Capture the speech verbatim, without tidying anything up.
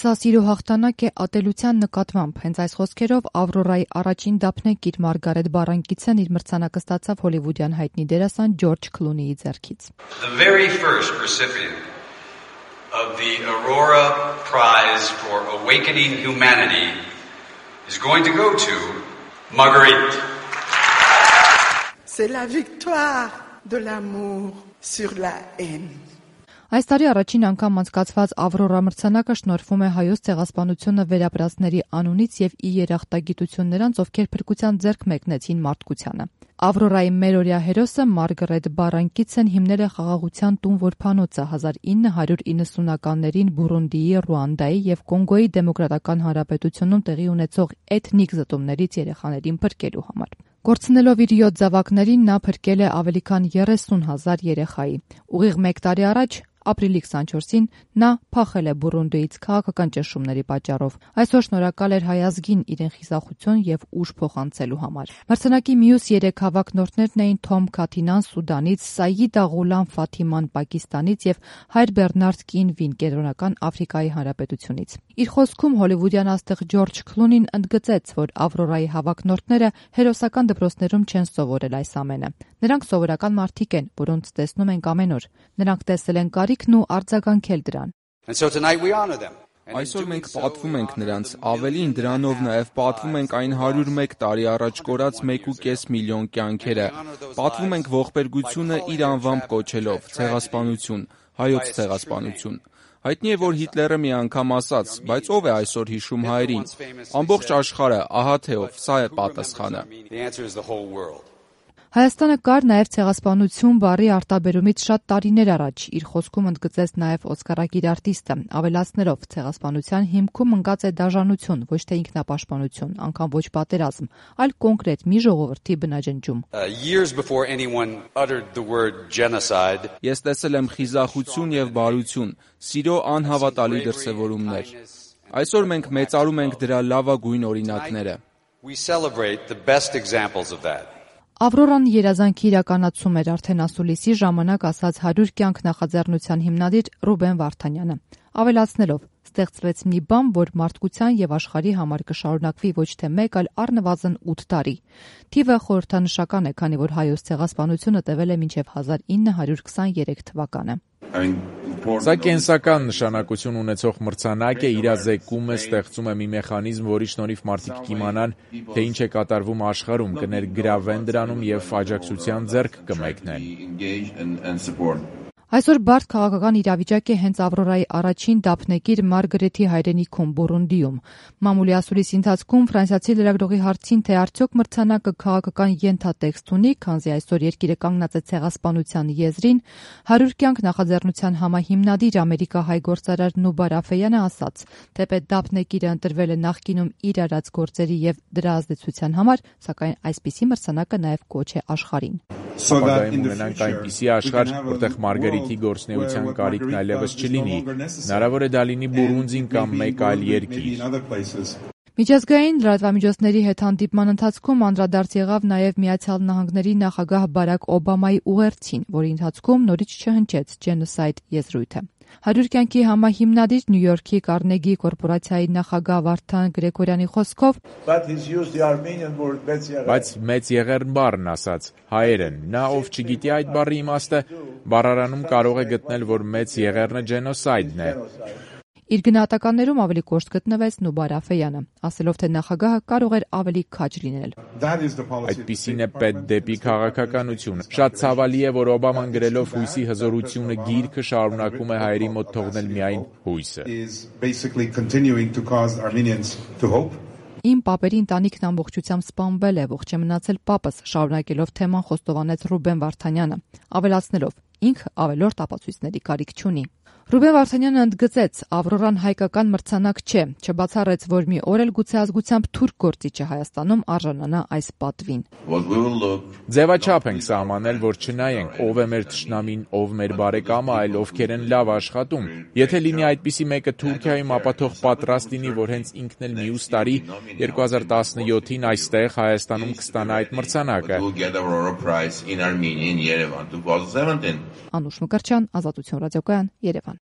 Սա սիրո հաղթանակ է ատելության նկատմամբ։ Հենց այս խոսքերով Ավրորայի առաջին դափնեկիր Մարգարետ Բարանկիցն իր մրցանակը ստացավ հոլիվուդյան հայտնի դերասան Ջորջ Քլունիի ձեռքից։ The very first recipient of the Aurora Prize for Awakening Humanity is going to go to Marguerite. C'est la victoire de l'amour sur la haine. Այս տարի առաջին անգամ անցկացված Ավրորա մրցանակը շնորհվում է Հայոց ցեղասպանությունը վերապրածների անունից եւ ի երախտագիտություն նրանց, ովքեր փրկության ձեռք մեկնեցին մարդկությանը։ Ավրորայի մերօրյա հերոսը Մարգարետ Բարանկիցն հիմնել է խաղաղության տուն որբանոցը հազար ինը հարյուր իննսունականներին Բուրունդիի, Ռուանդայի եւ Կոնգոյի դեմոկրատական հանրապետությունում տեղի ունեցող էթնիկ զտումներից երեխաներին փրկելու համար։ Կորցնելով իր յոթ զավակներին նա փրկել է ավելի քան երեսուն հազար երեխայի։ Ուղիղ մեկ տարի առաջ ապրիլի քսանչորսին նա փախել է Բուրունդիից քաղաքական ճնշումների պատճառով։ Այսօր շնորհակալ էր հայ ազգին իրեն խիզախություն եւ ուժ փոխանցելու համար։ Մրցանակի մյուս երեք հավաքնորդներն էին Թոմ Քաթինան Սուդանից, Սայիդա Ղուլամ Ֆաթիման Պակիստանից եւ Հայր Բեռնարդ Կինվին Կենտրոնական Աֆրիկայի Հանրապետությունից։ Իր խոսքում հոլիվուդյան աստղ Ջորջ Քլունին ընդգծեց, որ Ավրորայի հավաքնորդները հերոսական դպրոցներում չեն սովորել այս ամենը։ Նրանք սովորական մարդիկ են, որոնց տեսնում ենք ամեն օր։ Նրանք տեսել են կարիքն ու արձագանքել դրան։ Այսօր մենք պատվում ենք նրանց, ավելին դրանով նաև պատվում ենք այն հարյուր մեկ տարի առաջ կորած մեկ ու կես միլիոն կյանքերը։ Պատվում ենք ողբերգությունը իր անվամբ կոչելով՝ ցեղասպանություն, հայոց ցեղասպանություն։ Հայտնի է, որ Հիտլերը մի անգամ ասաց, բայց ով է այսօր հիշում հայերին։ Ամբողջ աշխարհը, ահա թե ով, սա է պատասխանը։ Հայաստանը կար նաև ցեղասպանություն բառի արտաբերումից շատ տարիներ առաջ, իր խոսքում ընդգծեց նաև օսկարակիր արտիստը, ավելացնելով ցեղասպանության հիմքում ընկած է դաժանություն, ոչ թե ինքնապաշտպանություն, անգամ ոչ պատերազմ, այլ կոնկրետ մի ժողովրդի բնաջնջում։ Ես տեսել եմ խիզախություն եւ բարություն, սիրո անհավատալի դրսևորումներ։ Այսօր մենք մեծարում ենք դրա լավագույն օրինակները։ Ավրորան երազանքի իրականացում էր արդեն ասուլիսի ժամանակ ասաց հարյուր կյանք նախաձեռնության հիմնադիր Ռուբեն Վարդանյանը, ավելացնելով. ստեղծվեց մի բան, որ մարդկության եւ աշխարհի համար կշարունակվի ոչ թե մեկ, այլ առնվազն ութ տարի։ Թիվը խորհրդանշական է, քանի որ հայոց ցեղասպանությունը տևել է մինչև հազար ինը հարյուր քսաներեք թվականը։ Սա կենսական նշանակություն ունեցող մրցանակ է, իրազեկում է, ստեղծում է մի մեխանիզմ, որի շնորհիվ մարդիկ կիմանան, թե ինչ է կատարվում աշխարհում, կներգրավեն դրանում եւ աջակցության ձեռք կմեկնեն։ Այսօր բարդ քաղաքական իրավիճակ է հենց Ավրորայի առաջին դափնեկիր Մարգարետի հայրենիքում Բուրունդիում։ Մամուլի ասուլիսի ընթացքում ֆրանսիացի լրագրողի հարցին, թե արդյոք մրցանակը քաղաքական ենթատեքստ ունի, քանզի այսօր երկիրը կանգնած է ցեղասպանության եզրին, հարյուր կյանք նախաձեռնության համահիմնադիր ամերիկահայ գործարար Նուբար Աֆեյանը ասաց, թեպետ դափնեկիրը ընտրվել է նախկինում իր արած գործերի եւ դրա ազդեցության համար, սակայն այսպիսի մրցանակը նաեւ կոչ է աշխարհին։ Ապագայում ունենանք այնպիսի աշխարհ, որտեղ Մարգարետի գործնեության կարիքն այլևս չլինի, հնարավոր է դա լինի Բուրունդին կամ մեկ այլ երկիր։ Միջազգային լրատվամիջոցների հետ հանդիպման ընթացքում անդրադարձ եղավ նաև Միացյալ Նահանգների նախագահ Բարակ Օբամայի ուղերձին, որի ընթացքում նորից չհնչեց ջենոսայդ եզրույթը։ Հարյուր կյանքի համահիմնադիր Նյու Յորքի Կարնեգի կորպորացիայի նախագահ Վարդան Գրեգորյանի խոսքով, բայց մեծ եղերն բառն ասաց, հայերեն, նա ով չգիտի այդ բառի իմաստը, բառարանում կարող է գտնել, որ մեծ եղերնը ջենոսայդն է։ Իր գնահատականներում ավելի կոշտ գտնվեց Նուբար Աֆեյանը, ասելով, թե նախագահը կարող էր ավելի քաջ լինել։ Այդպիսին է պետք դեպի քաղաքականություն։ Շատ ցավալի է, որ Օբաման գրելով հույսի հզորությունը գիրքը շարունակում է հայերի մոտ թողնել միայն հույսը։ Իմ պապերի ընտանիքն ամբողջությամբ սպանվել է, ողջ է մնացել պապս, շարունակելով թեման խոստովանեց Ռուբեն Վարդանյանը, ավելացնելով. ինքը ավելորդ ապացույցների կարիք չունի։ Ռուբեն Վարդանյանը ընդգծեց, Ավրորան հայկական մրցանակ չէ, չբացառեց, որ մի օր էլ գուցե ազգությամբ թուրք գործիչը Հայաստանում արժանանա այս պատվին։ Ձևաչափ ենք սահմանել, որ չնայենք ով է մեր թշնամին, ով մեր բարեկամը, այլ ովքեր են լավ աշխատում։ Եթե լինի այդպիսի մեկը Թուրքիայում, ապա թող պատրաստ լինի, որ հենց ինքն էլ մյուս տարի երկու հազար տասնյոթին այստեղ Հայաստանում կստանա այդ մրցանակը։ Անուշ Մկրտչյան, Ազատություն ռադիոկայան, Երևան։